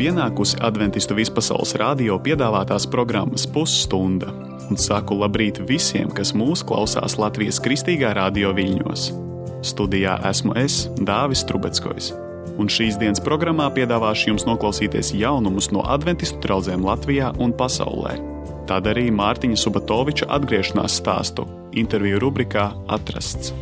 pienākusi Adventistu vispasaules radio piedāvātās programmas pusstunda, un saku labrīt visiem, kas mūs klausās Latvijas Kristīgā radio viļņos. Studijā esmu es, Dāvis Trubeckojs, un šīs dienas programmā piedāvāšu jums noklausīties jaunumus no Adventistu draudzēm Latvijā un pasaulē. Tad arī Mārtiņa Subatoviča atgriešanās stāstu interviju rubrikā Atrasts.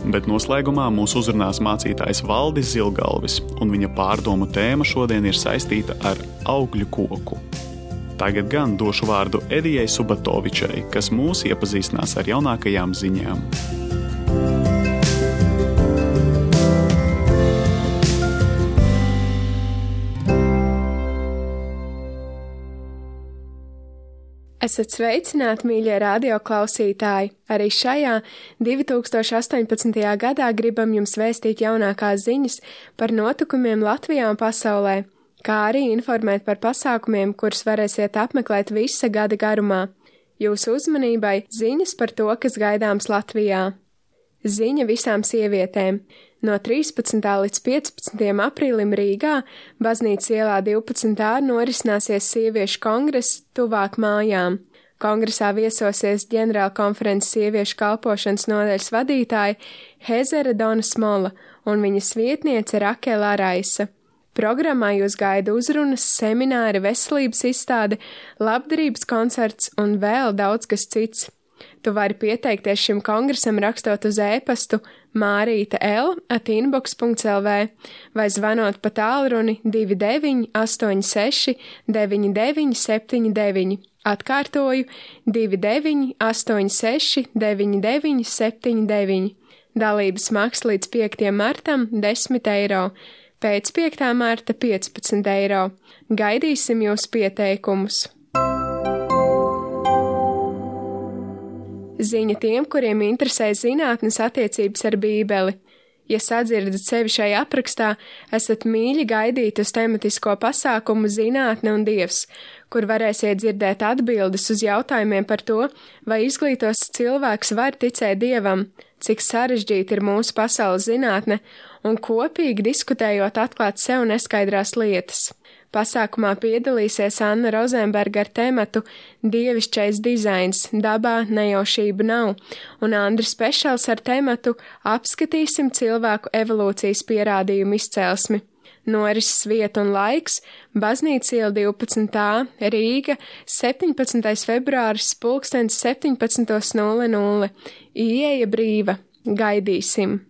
Bet noslēgumā mūs uzrunās mācītājs Valdis Zilgalvis, un viņa pārdomu tēma šodien ir saistīta ar augļu koku. Tagad gan došu vārdu Edijai Subatovičai, kas mūs iepazīstinās ar jaunākajām ziņām. Esat sveicināti, mīļie radioklausītāji! Arī šajā 2018. gadā gribam jums vēstīt jaunākās ziņas par notikumiem Latvijā un pasaulē, kā arī informēt par pasākumiem, kurus varēsiet apmeklēt visa gada garumā. Jūsu uzmanībai ziņas par to, kas gaidāms Latvijā. Ziņa visām sievietēm. No 13. līdz 15. aprīlim Rīgā, Baznīcas ielā 12. norisināsies sieviešu kongress tuvāk mājām. Kongresā viesosies ģenerālkonferences sieviešu kalpošanas nodaļas vadītāja Hezera Dona Smola un viņas vietniece Rakela Raisa. Programmā jūs gaida uzrunas, semināri, veselības izstāde, labdarības koncerts un vēl daudz kas cits. Tu vari pieteikties šim kongresam rakstot uz e-pastu marita.l@inbox.lv vai zvanot pa tālruni 2986 9979. Atkārtoju 2986 9979. Dalības maksa līdz 5. martam 10 eiro, pēc 5. marta 15 eiro. Gaidīsim jūsu pieteikumus! Ziņa tiem, kuriem interesē zinātnes attiecības ar Bībeli. Ja sadzirdat sevi šai aprakstā, esat mīļi gaidīti uz tematisko pasākumu Zinātne un Dievs, kur varēsiet dzirdēt atbildes uz jautājumiem par to, vai izglītos cilvēks var ticēt Dievam, cik sarežģīta ir mūsu pasaules zinātne, un kopīgi diskutējot atklāt sev neskaidrās lietas. Pasākumā piedalīsies Anna Rozenberga ar tematu Dievišķais dizains, dabā nejaušība nav, un Andris Pešals ar tematu Apskatīsim cilvēku evolūcijas pierādījumu izcelsmi. Norises vieta un laiks - Baznīcas iela 12. Rīga, 17. februāris, 17:00. Ieeja brīva. Gaidīsim!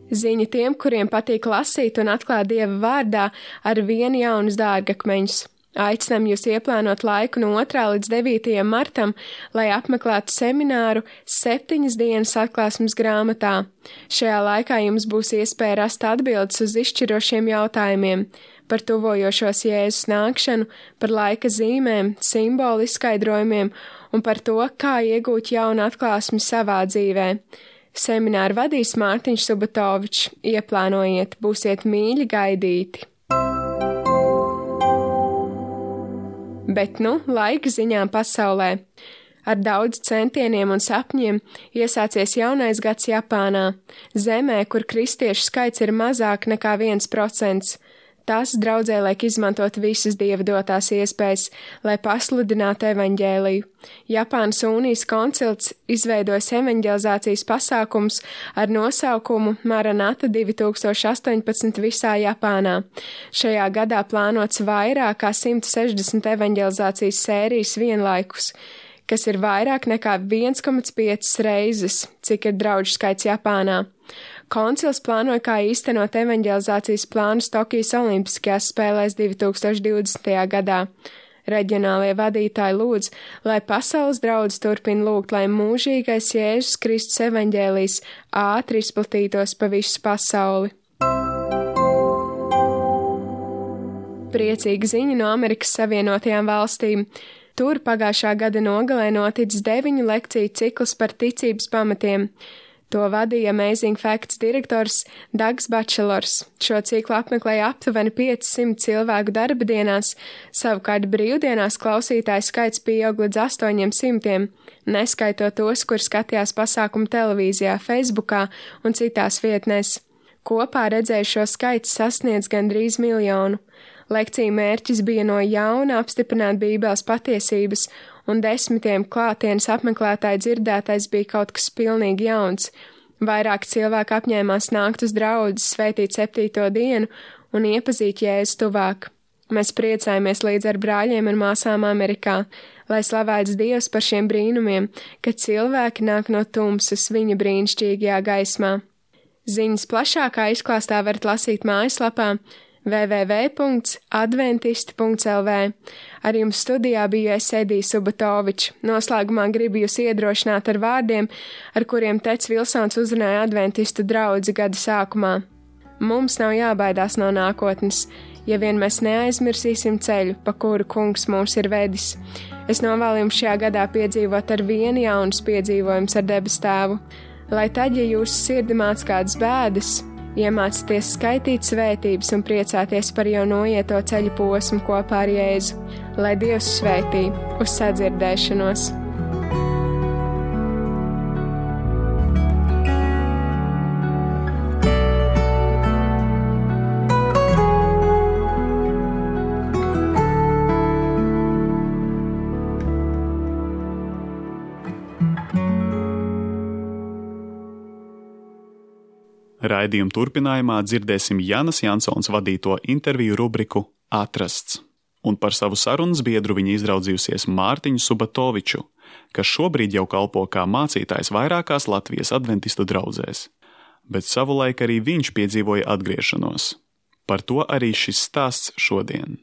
Ziņa tiem, kuriem patīk lasīt un atklāt Dieva vārdā ar vienu jaunus dārgakmeņus. Aicinām jūs ieplānot laiku no 2. līdz 9. martam, lai apmeklētu semināru 7 dienas atklāsmes grāmatā. Šajā laikā jums būs iespēja rast atbildes uz izšķirošiem jautājumiem par tuvojošos Jēzus nākšanu, par laika zīmēm, simbolu izskaidrojumiem un par to, kā iegūt jaunu atklāsmi savā dzīvē. Semināru vadīs Mārtiņš Subatovičs. Ieplānojiet, būsiet mīļi gaidīti. Bet laika ziņām pasaulē. Ar daudz centieniem un sapņiem iesācies jaunais gads Japānā, zemē, kur kristiešu skaits ir mazāk nekā 1%. Tas draudzē liek izmantot visas Dieva dotās iespējas, lai pasludinātu evaņģēliju. Japānas unijas koncils izveidojas evaņģelizācijas pasākums ar nosaukumu Maranata 2018 visā Japānā. Šajā gadā plānots vairāk kā 160 evaņģelizācijas sērijas vienlaikus, kas ir vairāk nekā 1,5 reizes, cik ir draudžu skaits Japānā. Koncils plānoja, kā īstenot evaņģelizācijas plānus Tokijas Olimpiskajās spēlēs 2020. gadā. Reģionālie vadītāji lūdz, lai pasaules draudz turpina lūgt, lai mūžīgais Jēzus Kristus evaņģēlijs ātri izplatītos pa visu pasauli. Priecīga ziņa no Amerikas Savienotajām valstīm. Tur pagājušā gada nogalē noticis 9 lekciju cikls par ticības pamatiem. To vadīja Amazing Facts direktors Dags Bačelors. Šo ciklu apmeklēja aptuveni 500 cilvēku darba dienās, savukārt brīvdienās klausītāju skaits pieaug līdz 800, neskaitot tos, kur skatījās pasākumu televīzijā, Facebookā un citās vietnēs. Kopā redzējušo skaits sasniedz gandrīz 1 miljonu. Lekciju mērķis bija no jauna apstiprināt Bībeles patiesības, un 10 klātienes apmeklētāju dzirdētais bija kaut kas pilnīgi jauns. Vairāk cilvēku apņēmās nākt uz draudzes, svētīt 7. dienu un iepazīt Jēzu tuvāk. Mēs priecājamies līdz ar brāļiem un māsām Amerikā, lai slavēts Dievs par šiem brīnumiem, kad cilvēki nāk no tumsas viņa brīnišķīgajā gaismā. Ziņas plašākā izklāstā varat lasīt mājaslapā www.adventisti.lv. Ar jums studijā biju es Edija Subatoviča. Noslēgumā gribu jūs iedrošināt ar vārdiem, ar kuriem Teds Vilsons uzrunāja adventistu draudzi gada sākumā. Mums nav jābaidās no nākotnes, ja vien mēs neaizmirsīsim ceļu, pa kuru kungs mūs ir vedis. Es novēlu jums šajā gadā piedzīvot ar vienu jaunus piedzīvojumus ar debes tēvu, lai tad, ja jūsu sirdi māc kādas bēdas, iemācieties skaitīt svētības un priecāties par jau noieto ceļu posmu kopā ar Jēzu, lai Dievs svētī uz sadzirdēšanos. Raidījuma turpinājumā dzirdēsim Janas Jansons vadīto interviju rubriku Atrasts, un par savu sarunas biedru viņa izraudzījusies Mārtiņu Subatoviču, kas šobrīd jau kalpo kā mācītājs vairākās Latvijas adventistu draudzēs, bet savulaik arī viņš piedzīvoja atgriešanos. Par to arī šis stāsts šodien.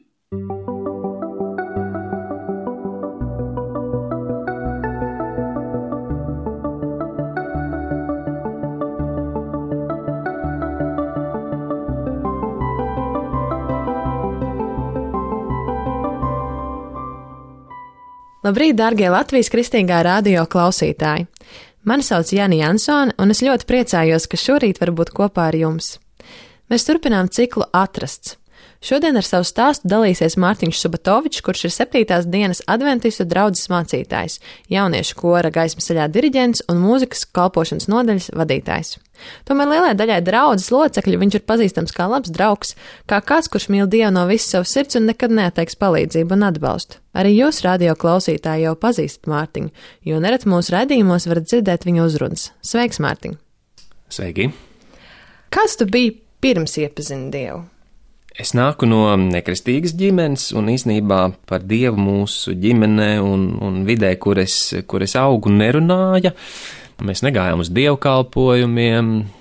Labrīt, darbie Latvijas Kristīgā radio klausītāji! Mani sauc Jana Jansone, un es ļoti priecājos, ka šorīt var būt kopā ar jums. Mēs turpinām ciklu Atrasts. Šodien ar savu stāstu dalīsies Mārtiņš Subatovičs, kurš ir 7. dienas adventistu draudzes mācītājs, jauniešu kora gaismas ceļā diriģents un mūzikas kalpošanas nodaļas vadītājs. Tomēr lielai daļai draudzes locekļu viņš ir pazīstams kā labs draugs, kā kāds, kurš mīl Dievu no visas savas sirds un nekad neatteiks palīdzību un atbalstu. Arī jūs, radio klausītāji, jau pazīstat Mārtiņu, jo nereti mūsu raidījumos varat dzirdēt viņa uzrunas. Sveiks, Mārtiņ! Sveiki! Kāds tu biji pirms iepazini Dievu? Es nāku no nekristīgas ģimenes, un īsnībā par Dievu mūsu ģimenē un vidē, kur es augu, nerunāja. Mēs negājām uz dievkalpojumiem.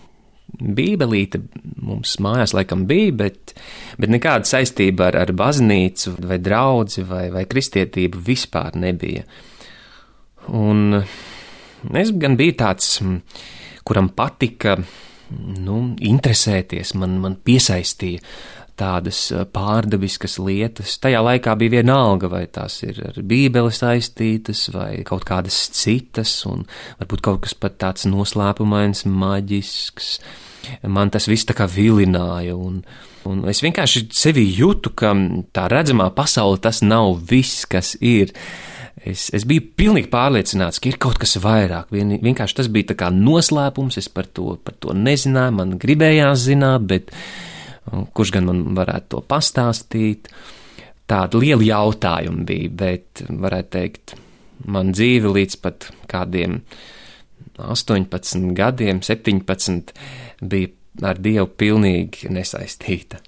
Bībelīte mums mājās laikam bija, bet nekāda saistība ar baznīcu vai draudzi vai kristietību vispār nebija. Un es gan biju tāds, kuram patika interesēties, man piesaistīja tādas pārdabiskas lietas. Tajā laikā bija vienalga, vai tās ir ar Bībeli saistītas, vai kaut kādas citas, un varbūt kaut kas pat tāds noslēpumains, maģisks. Man tas viss tā kā vilināja, un es vienkārši sevi jūtu, ka tā redzamā pasaule tas nav viss, kas ir. Es biju pilnīgi pārliecināts, ka ir kaut kas vairāk. Vienkārši tas bija tā kā noslēpums, es par to nezināju, man gribējās zināt, bet kurš gan man varētu to pastāstīt. Tāda liela jautājuma bija, bet varētu teikt, man dzīve līdz pat kādiem 18 gadiem, 17 bija ar Dievu pilnīgi nesaistīta.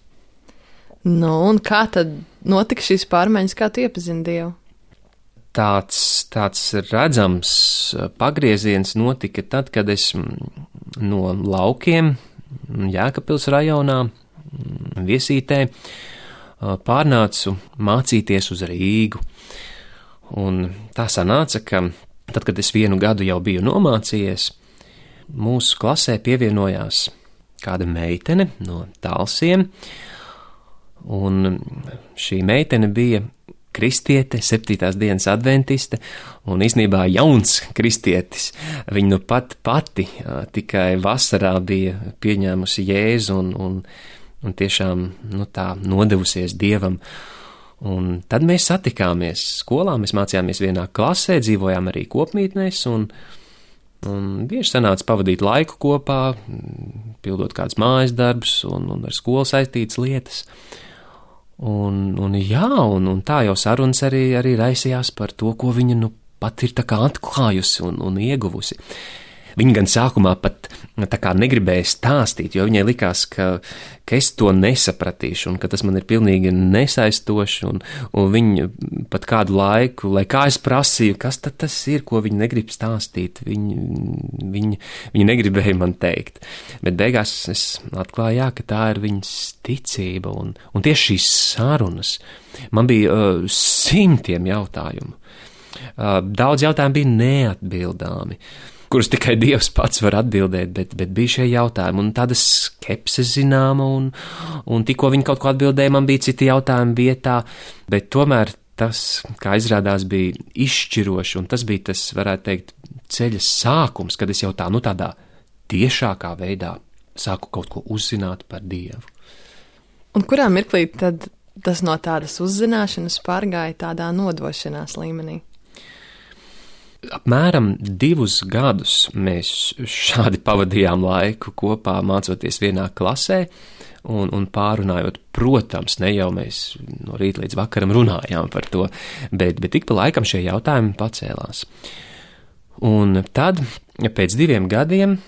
Un kā tad notika šīs pārmaiņas, kā tu iepazini Dievu? Tāds redzams pagrieziens notika tad, kad es no laukiem Jēkabpils rajonā Viesītē pārnācu mācīties uz Rīgu. Un tā sanāca, ka tad, kad es 1 gadu jau biju nomācījies, mūsu klasē pievienojās kāda meitene no Talsiem, un šī meitene bija kristiete, 7. dienas adventiste, un īstenībā jauns kristietis. Viņa nu pati tikai vasarā bija pieņēmusi Jēzu un tiešām tā nodevusies Dievam. Un tad mēs satikāmies skolā, mēs mācījāmies vienā klasē, dzīvojām arī kopmītnēs, un Un bieži sanāca pavadīt laiku kopā, pildot kādus mājas darbus un ar skolu saistītas lietas. Un tā jau sarunas arī raisījās par to, ko viņa pat ir tā kā atklājusi un ieguvusi. Viņa gan sākumā pat tā kā negribēja stāstīt, jo viņai likās, ka es to nesapratīšu un ka tas man ir pilnīgi nesaistoši, un viņa pat kādu laiku, lai kā es prasīju, kas tad tas ir, ko viņa negrib stāstīt, viņa negribēja man teikt. Bet beigās es atklāju, jā, ka tā ir viņas ticība, un tieši šīs sarunas man bija simtiem jautājumu. Daudz jautājumu bija neatbildāmi, kurus tikai Dievs pats var atbildēt, bet bija šie jautājumi, un tāda skepse zināma, un tikko viņi kaut ko atbildēja, man bija citi jautājumi vietā, bet tomēr tas, kā izrādās, bija izšķiroši, un tas bija tas, varētu teikt, ceļa sākums, kad es jau tādā tiešākā veidā sāku kaut ko uzzināt par Dievu. Un kurā mirklī tad tas no tādas uzzināšanas pārgāja tādā nodošanās līmenī? Apmēram 2 gadus mēs šādi pavadījām laiku kopā, mācoties vienā klasē un pārunājot. Protams, ne jau mēs no rīta līdz vakaram runājām par to, bet ik pa laikam šie jautājumi pacēlās. Un tad, pēc 2 gadiem,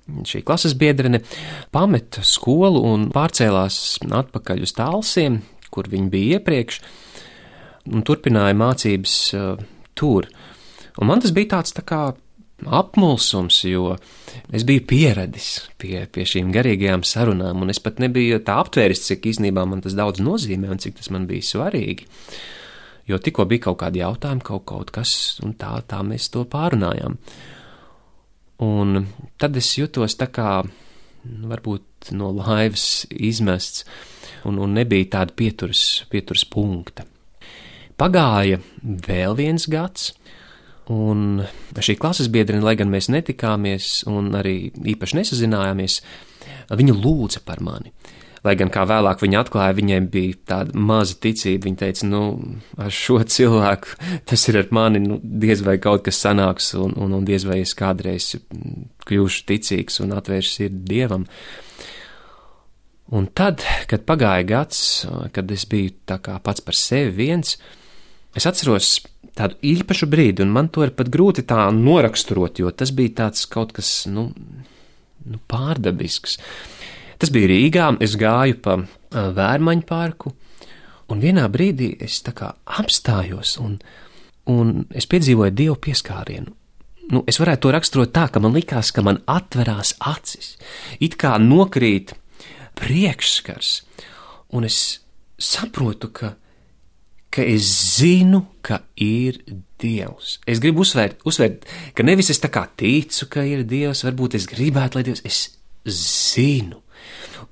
šī klases biedrene pameta skolu un pārcēlās atpakaļ uz Talsiem, kur viņa bija iepriekš, un turpināja mācības tur. Un man tas bija tāds tā kā apmulsums, jo es biju pieradis pie šīm garīgajām sarunām, un es pat nebiju tā aptvēris, cik īstenībā man tas daudz nozīmē un cik tas man bija svarīgi. Jo tikko bija kaut kādi jautājumi, kaut kas, un tā mēs to pārunājām. Un tad es jutos tā kā, varbūt no laivas izmests, un nebija tāda pieturas punkta. Pagāja vēl 1 gads, un šī klases biedrene, lai gan mēs netikāmies un arī īpaši nesazinājāmies, viņa lūdza par mani. Lai gan kā vēlāk viņa atklāja, viņai bija tāda maza ticība. Viņa teica, ar šo cilvēku tas ir ar mani, diez vai kaut kas sanāks, un diez vai es kādreiz kļūšu ticīgs un atvēršu sirdi Dievam. Un tad, kad pagāja gads, kad es biju tā kā pats par sevi viens, es atceros tādu īpašu brīdi, un man to ir pat grūti tā noraksturot, jo tas bija tāds kaut kas, pārdabisks. Tas bija Rīgā, es gāju pa Vērmaņu parku, un vienā brīdī es tā kā apstājos, un es piedzīvoju Dievu pieskārienu. Es varētu to raksturot tā, ka man likās, ka man atverās acis, it kā nokrīt priekšskars, un es saprotu, ka es zinu, ka ir Dievs. Es gribu uzsvērt, ka nevis es tā kā ticu, ka ir Dievs, varbūt es gribētu, lai Dievs, es zinu.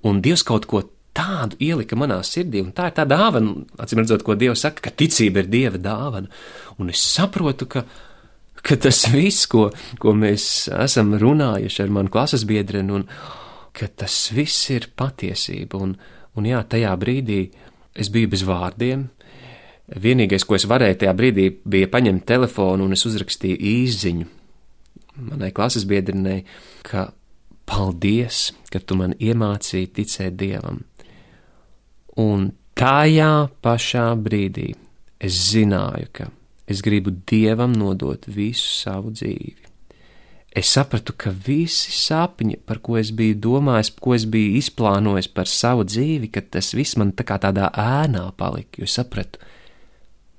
Un Dievs kaut ko tādu ielika manā sirdī, un tā ir tā dāvana, acīm redzot, ko Dievs saka, ka ticība ir Dieva dāvana. Un es saprotu, ka tas viss, ko mēs esam runājuši ar manu klases biedreni, un ka tas viss ir patiesība. Un jā, tajā brīdī es biju bez vārdiem. Vienīgais, ko es varēju tajā brīdī, bija paņemt telefonu, un es uzrakstīju īsziņu manai klases biedrenei, ka paldies, ka tu man iemācīji ticēt Dievam. Un tajā pašā brīdī es zināju, ka es gribu Dievam nodot visu savu dzīvi. Es sapratu, ka visi sapņi, par ko es biju domājis, ko es biju izplānojis par savu dzīvi, ka tas viss man tā kā tādā ēnā palika, jo sapratu,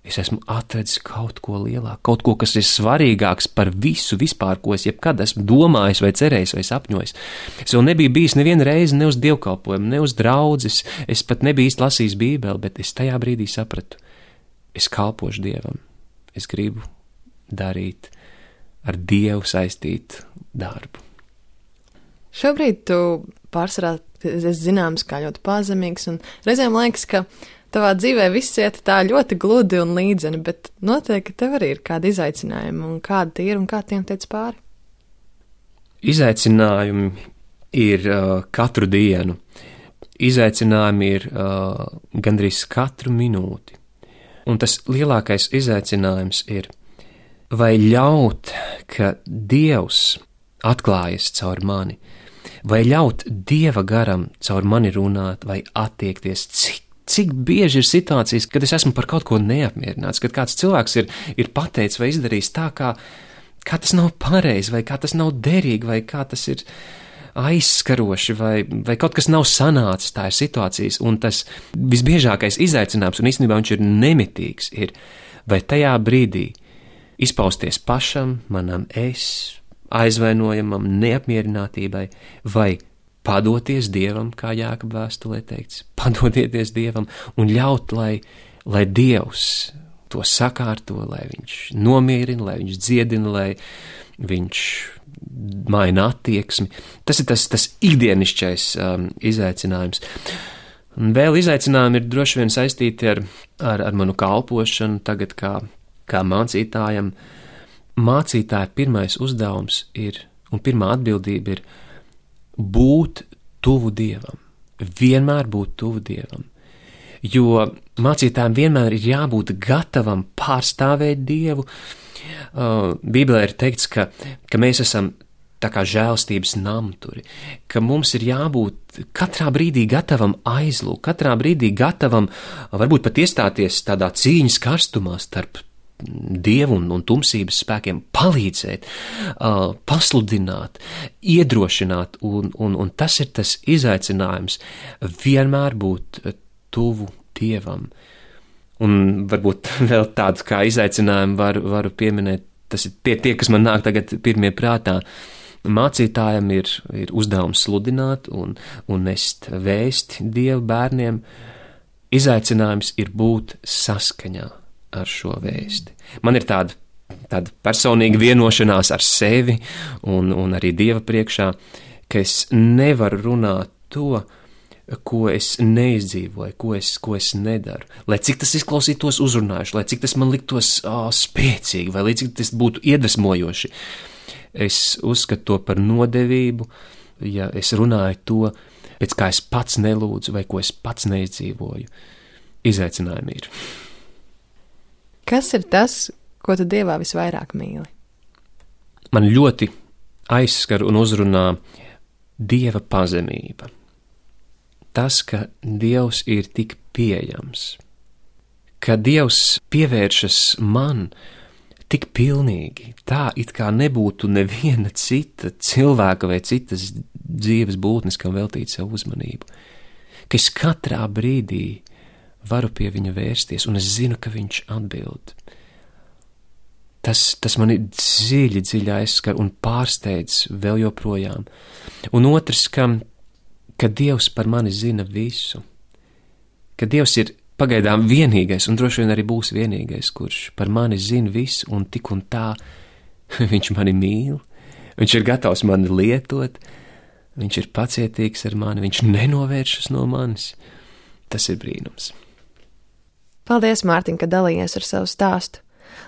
es esmu atradzis kaut ko lielāku, kaut ko, kas ir svarīgāks par visu vispār, ko es jebkad esmu domājis vai cerējis vai sapņojis. Es vēl nebiju bijis nevienu reizi ne uz dievkalpojumu, ne uz draudzes, es pat nebiju īsti lasījis Bībeli, bet es tajā brīdī sapratu, es kalpošu Dievam, es gribu darīt ar Dievu saistītu darbu. Šobrīd tu pārsvarā esi zināms kā ļoti pazemīgs, un reizēm liekas, ka tavā dzīvē viss iet tā ļoti gludi un līdzeni, bet noteikti tev arī ir kādi izaicinājumi, un kādi tie ir, un kā tiem tiec pāri? Izaicinājumi ir katru dienu. Izaicinājumi ir gandrīz katru minūti. Un tas lielākais izaicinājums ir vai ļaut, ka Dievs atklājas caur mani, vai ļaut Dieva garam caur mani runāt vai attiekties, cik bieži ir situācijas, kad es esmu par kaut ko neapmierināts, kad kāds cilvēks ir pateicis vai izdarījis tā, kā tas nav pareizi, vai kā tas nav derīgi, vai kā tas ir aizskaroši, vai kaut kas nav sanācis, tā ir situācijas, un tas visbiežākais izaicinājums, un īstenībā viņš ir nemitīgs, ir vai tajā brīdī izpausties pašam, manam aizvainojamam, neapmierinātībai, vai padoties Dievam, kā Jākaba vēstulē teikts, padodieties Dievam un ļaut, lai Dievs to sakārto, lai viņš nomierina, lai viņš dziedina, lai viņš maina attieksmi. Tas ir tas ikdienišķais izaicinājums. Un vēl izaicinājumi ir droši vien saistīti ar manu kalpošanu tagad kā mācītājam. Mācītāja pirmais uzdevums un pirmā atbildība ir būt tuvu Dievam, vienmēr būt tuvu Dievam, jo mācītājiem vienmēr ir jābūt gatavam pārstāvēt Dievu. Bībelē ir teikts, ka mēs esam tā kā žēlstības namturi, ka mums ir jābūt katrā brīdī gatavam aizlūgt, katrā brīdī gatavam varbūt pat iestāties tādā cīņas karstumā starp Dievu un tumsības spēkiem, palīdzēt, pasludināt, iedrošināt, un tas ir tas izaicinājums vienmēr būt tuvu Dievam. Un varbūt vēl tādus kā izaicinājumu varu pieminēt, tas ir tie, kas man nāk tagad pirmie prātā. Mācītājam ir uzdevums sludināt un nest vēsti Dievu bērniem. Izaicinājums ir būt saskaņā ar šo vēsti. Man ir tāda personīga vienošanās ar sevi un arī Dieva priekšā, ka es nevaru runāt to, ko es neizdzīvoju, ko es nedaru. Lai cik tas izklausītos uzrunājuši, lai cik tas man liktos spēcīgi, vai lai cik tas būtu iedvesmojoši. Es uzskatu to par nodevību, ja es runāju to, pēc kā es pats nelūdzu vai ko es pats neizdzīvoju. Izaicinājumi ir. Kas ir tas, ko tu Dievā visvairāk mīli? Man ļoti aizskar un uzrunā Dieva pazemība. Tas, ka Dievs ir tik pieejams, ka Dievs pievēršas man tik pilnīgi, tā it kā nebūtu neviena cita cilvēka vai citas dzīves būtnes, kam veltīt savu uzmanību, ka es katrā brīdī varu pie viņa vērsties, un es zinu, ka viņš atbild. Tas mani dziļi aizskar un pārsteidz vēl joprojām. Un otrs, ka Dievs par mani zina visu, ka Dievs ir pagaidām vienīgais, un droši vien arī būs vienīgais, kurš par mani zina visu, un tik un tā viņš mani mīl, viņš ir gatavs mani lietot, viņš ir pacietīgs ar mani, viņš nenovēršas no manis. Tas ir brīnums. Paldies, Mārtiņ, ka dalījies ar savu stāstu.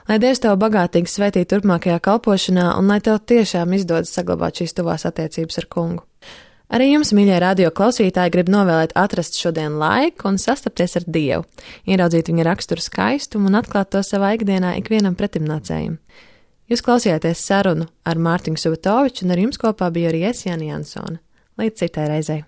Lai Dievs tev bagātīgi svētī turpmākajā kalpošanā, un lai tev tiešām izdodas saglabāt šīs tuvās attiecības ar Kungu. Arī jums, mīļie radio klausītāji, grib novēlēt atrast šodien laiku un sastapties ar Dievu, ieraudzīt viņa raksturu skaistumu un atklāt to savā ikdienā ikvienam pretimnācējam. Jūs klausījāties sarunu ar Mārtiņu Subatoviču, un ar jums kopā bija arī es, Jāni Jansone. Līdz citai reizei.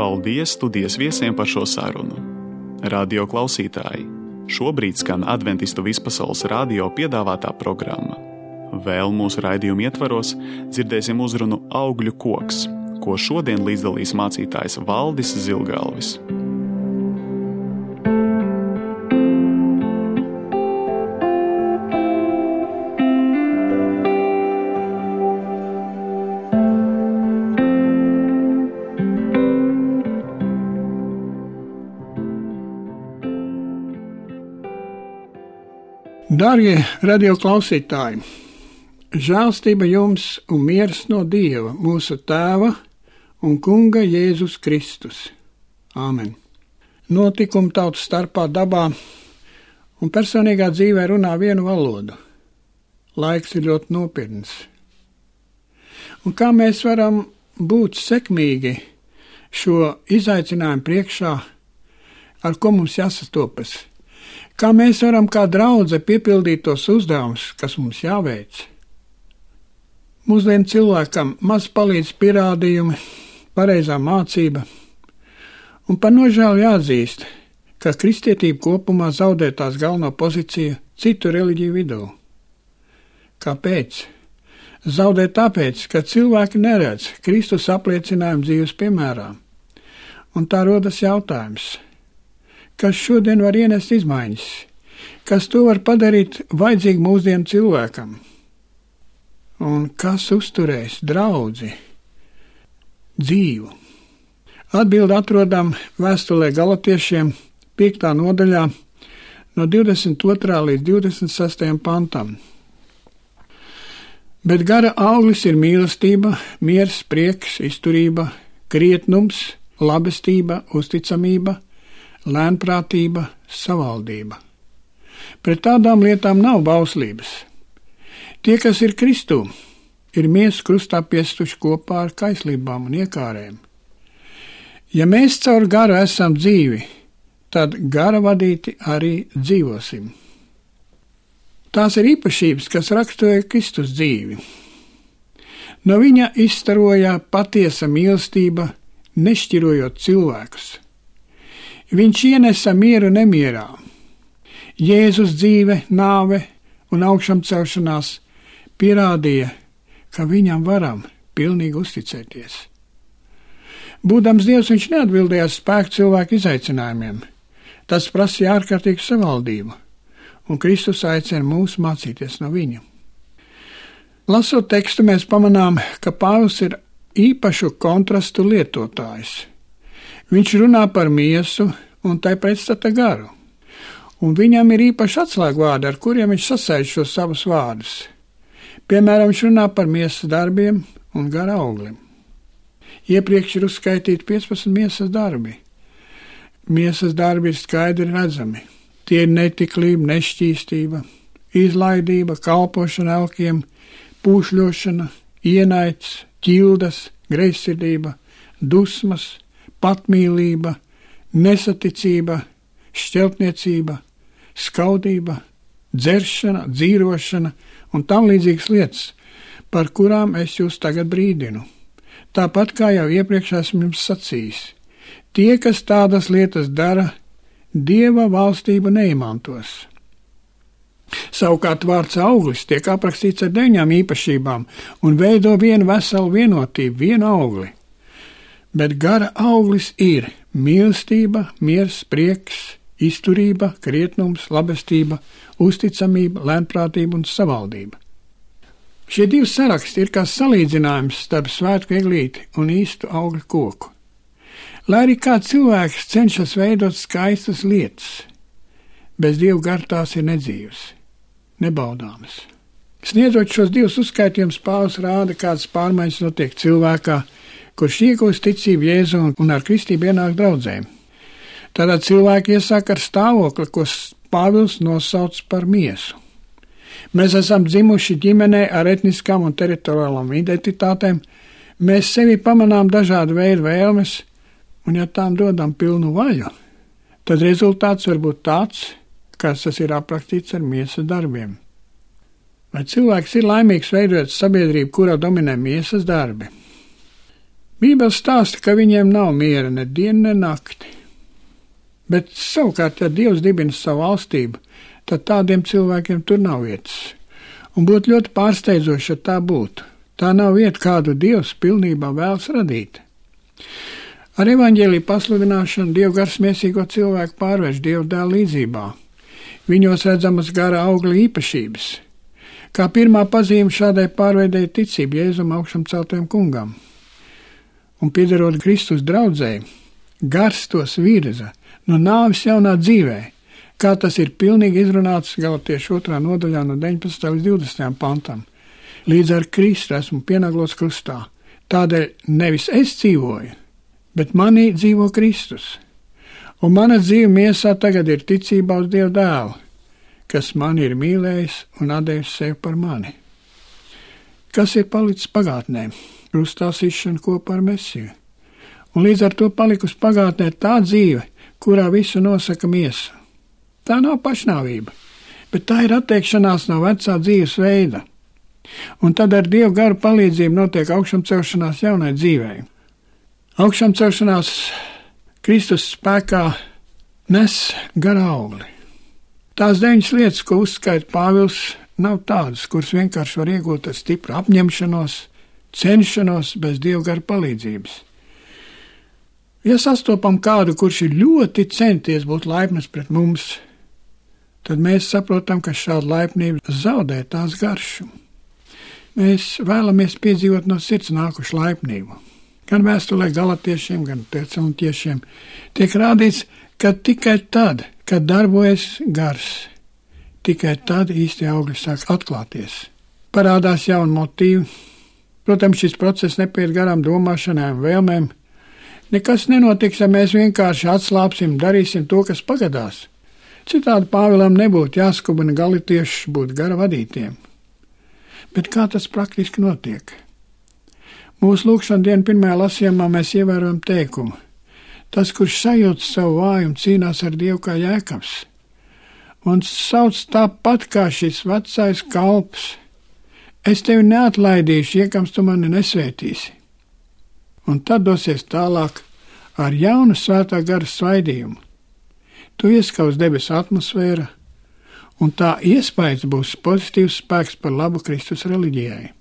Paldies studijas viesiem par šo sarunu. Radio klausītāji, šobrīd skan Adventistu vispasaules radio piedāvātā programma. Vēl mūsu raidījuma ietvaros dzirdēsim uzrunu Augļu koks, ko šodien līdzdalīs mācītājs Valdis Zilgalvis. Darbie radio klausītāji, žēlstība jums un miers no Dieva, mūsu Tēva un Kunga Jēzus Kristus. Āmen. Notikumi tautu starpā dabā un personīgā dzīvē runā vienu valodu. laiks ir ļoti nopietns. Un kā mēs varam būt sekmīgi šo izaicinājumu priekšā, ar ko mums jāsastopas? Kā mēs varam kā draudze piepildīt tos uzdevumus, kas mums jāveic? Mūsdienu cilvēkam maz palīdz pierādījumi, pareizā mācība, un par nožēlu jāatzīst, ka kristietība kopumā zaudē tās galveno pozīciju citu reliģiju vidū. Kāpēc? Zaudē tāpēc, ka cilvēki neredz Kristus apliecinājumu dzīves piemērā. Un tā rodas jautājums, kas šodien var ienest izmaiņas, kas to var padarīt vajadzīgu mūsdienu cilvēkam, un kas uzturēs draudzi dzīvu. Atbildi atrodam vēstulē Galatiešiem 5. nodaļā no 22. līdz 26. pantam. Bet gara auglis ir mīlestība, miers, prieks, izturība, krietnums, labestība, uzticamība, lēnprātība, savaldība. Pret tādām lietām nav bauslības. Tie, kas ir Kristū, ir miesu krustā piestuši kopā ar kaislībām un iekārēm. Ja mēs caur garu esam dzīvi, tad gara vadīti arī dzīvosim. Tās ir īpašības, kas raksturoja Kristus dzīvi. No viņa izstaroja patiesa mīlestība, nešķirojot cilvēkus. Viņš ienesa mieru nemierā. Jēzus dzīve, nāve un augšām celšanās pierādīja, ka viņam varam pilnīgi uzticēties. Būdams Dievs, viņš neatbildēja spēku cilvēku izaicinājumiem. Tas prasīja ārkārtīgu savaldību, un Kristus aicina mūs mācīties no viņa. Lasot tekstu, mēs pamanām, ka Pāvils ir īpašu kontrastu lietotājs. Viņš runā par miesu un tai pretstata garu, un viņam ir īpaši atslēgvārdi, ar kuriem viņš sasaista šos savus vārdus. Piemēram, viņš runā par miesas darbiem un gara auglim. Iepriekš ir uzskaitīti 15 miesas darbi. Miesas darbi ir skaidri redzami. Tie ir netiklība, nešķīstība, izlaidība, kalpošana elkiem, pūšļošana, ienaids, ķildas, greizsirdība, dusmas, patmīlība, nesaticība, šķeltniecība, skaudība, dzeršana, dzīrošana un tam līdzīgas lietas, par kurām es jūs tagad brīdinu. Tāpat kā jau iepriekš esmu jums sacījis, tie, kas tādas lietas dara, Dieva valstību neiemantos. Savukārt vārds auglis tiek aprakstīts ar 9 īpašībām un veido vienu veselu vienotību, vienu augli. Bet gara auglis ir mīlestība, miers, prieks, izturība, krietnums, labestība, uzticamība, lēnprātība un savaldība. Šie 2 saraksti ir kā salīdzinājums starp svētku eglīti un īstu augļu koku. Lai arī kā cilvēks cenšas veidot skaistas lietas, bez Dieva gara tās ir nedzīvas, nebaudāmas. Sniedzot šos 2 uzskaitījumus, Pāvils rāda, kādas pārmaiņas notiek cilvēkā, kurš iegūst ticību Jēzu un ar kristību ienāk draudzēm. Tātad cilvēki iesāk ar stāvokli, ko Pāvils nosauc par miesu. Mēs esam dzimuši ģimenē ar etniskām un teritoriālām identitātēm, mēs sevi pamanām dažādu veidu vēlmes, un ja tām dodam pilnu vaļu, tad rezultāts var būt tāds, kāds tas ir aprakstīts ar miesas darbiem. Vai cilvēks ir laimīgs veidot sabiedrību, kurā dominē miesas darbi? Bībele stāsta, ka viņiem nav miera ne diena, ne nakti. Bet savukārt, ja Dievs dibina savu valstību, tad tādiem cilvēkiem tur nav vietas. Un būtu ļoti pārsteidzoši, ja tā būtu. Tā nav vieta, kādu Dievs pilnībā vēlas radīt. Ar evaņģēliju pasludināšanu Dieva gars miesīgo cilvēku pārvērš Dieva dēla līdzībā. Viņos redzamas gara augļa īpašības. Kā pirmā pazīme šādai pārveidei ticība Jēzum augšām celtajam kungam. Un piederot Kristus draudzēji, gars tos virza no nāves jaunā dzīvē, kā tas ir pilnīgi izrunāts Galatiešu 2. nodaļā no 19. līdz 20. pantam. Līdz ar Kristu esmu pienaglots krustā. Tādēļ nevis es dzīvoju, bet manī dzīvo Kristus. Un mana dzīve miesā tagad ir ticībā uz Dieva dēlu, kas mani ir mīlējis un atdevis sevi par mani. Kas ir palicis pagātnē? Krustā sišana kopā ar Mesiju. Un līdz ar to palikusi pagātnē tā dzīve, kurā visu nosaka miesa. Tā nav pašnāvība, bet tā ir atteikšanās no vecā dzīves veida. Un tad ar Dieva garu palīdzību notiek augšamcelšanās jaunai dzīvei. Augšamcelšanās Kristus spēkā nes gara augli. Tās 9 lietas, ko uzskaita Pāvils, nav tādas, kuras vienkārši var iegūt ar stipru apņemšanos, cenšanos bez Dieva gara palīdzības. Ja sastopam kādu, kurš ir ļoti centies būt laipns pret mums, tad mēs saprotam, ka šāda laipnība zaudē tās garšu. Mēs vēlamies piedzīvot no sirds nākušu laipnību. Gan vēstulē Galatiešiem, gan Tesaloniķiešiem tiek rādīts, ka tikai tad, kad darbojas gars, tikai tad īsti augļi sāk atklāties. Parādās jauni motīvi. Protams, šis process nepaiet garām domāšanai un vēlmēm. Nekas nenotiks, ja mēs vienkārši atslāpsim, darīsim to, kas pagadās. Citādi Pāvilam nebūtu jāskubina galatiešus būt gara vadītiem. Bet kā tas praktiski notiek? Mūsu lūkšana dienu pirmajā lasījumā mēs ievērojam teikumu. Tas, kurš sajūt savu vājumu, cīnās ar Dievu kā Jēkabs. Un sauc tāpat kā šis vecais kalps. Es tevi neatlaidīšu, iekams tu mani nesvētīsi. Un tad dosies tālāk ar jaunu svētā gara svaidījumu. Tu ieskaus debesu atmosfēra, un tā iespējas būs pozitīvs spēks par labu Kristus reliģijai.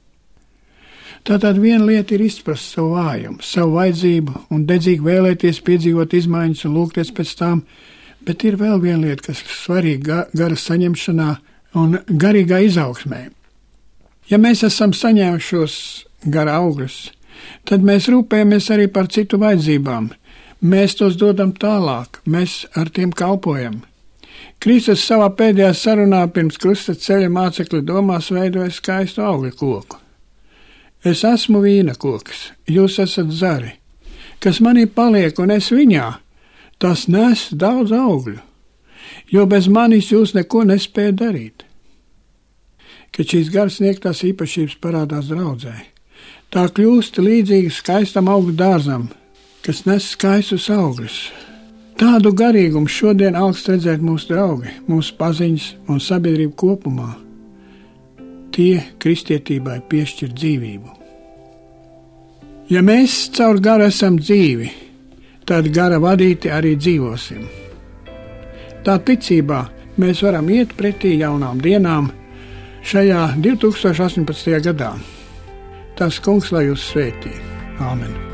Tātad viena lieta ir izprast savu vājumu, savu vajadzību un dedzīgi vēlēties piedzīvot izmaiņas un lūgties pēc tām, bet ir vēl viena lieta, kas ir svarīga gara saņemšanā un garīgā izaugsmē. Ja mēs esam saņēmušos gara augļus, tad mēs rūpējamies arī par citu vajadzībām. Mēs tos dodam tālāk, mēs ar tiem kalpojam. Kristus savā pēdējā sarunā pirms krusta ceļa mācekļu domās veidoja skaistu augļu koku. Es esmu vīna koks, jūs esat zari. Kas manī paliek un es viņā, tas nes daudz augļu, jo bez manis jūs neko nespējat darīt. Kad šīs garas sniegtās īpašības parādās draudzē, tā kļūst līdzīga skaistam augļu dārzam, kas nes skaistus augļus. Tādu garīgumu šodien augst redzēt mūsu draugi, mūsu paziņas un sabiedrību kopumā. Tie kristietībai piešķir dzīvību. Ja mēs caur garu esam dzīvi, tad gara vadīti arī dzīvosim. Tā ticībā mēs varam iet pretī jaunām dienām šajā 2018. gadā. Tas Kungs lai jūs svētī. Āmen.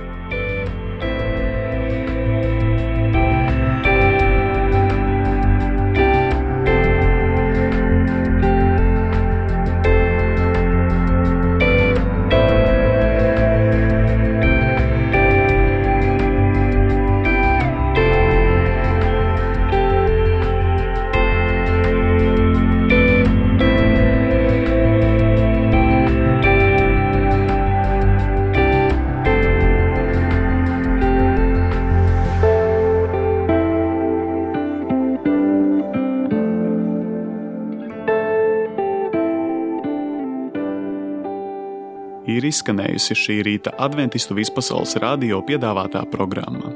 Ir izskanējusi šī rīta Adventistu vispasaules radio piedāvātā programma.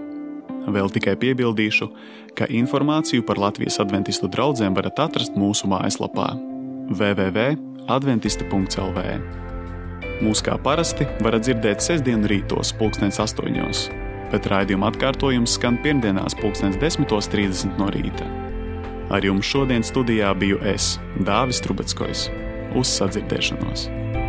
Vēl tikai piebildīšu, ka informāciju par Latvijas adventistu draugiem varat atrast mūsu mājaslapā www.adventisti.lv. Mūs kā parasti varat dzirdēt sestdienu rītos 8:00, bet raidījuma atkārtojums skan pirmdienās 10:30 no rīta. Ar jums šodien studijā biju es, Dāvis Trubeckojs. Uz sadzirdēšanos!